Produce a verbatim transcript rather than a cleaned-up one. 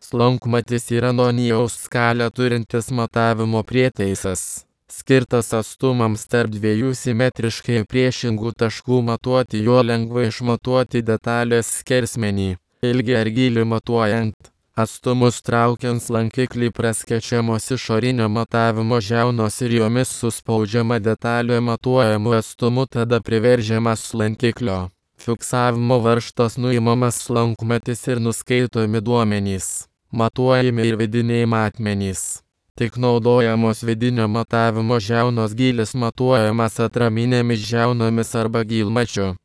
Slankmatis yra Nonijaus skalę turintis matavimo prietaisas, skirtas atstumams tarp dviejų simetriškai priešingų taškų matuoti. Juo lengva išmatuoti detalės skersmenį, ilgį ar gylį matuojant. Atstumus traukiant lankiklį praskečiamos išorinio matavimo žiaunos ir jomis suspaudžiama detalė matuojamu atstumu, tada priveržiamas lankiklio. Fiksavimo varžtas nuimamas slankmatis ir nuskaitomi duomenys, matuojami ir vidiniai matmenys. Tik naudojamos vidinio matavimo žiaunos gylis matuojamas atraminėmis žiaunomis arba gylmačiu.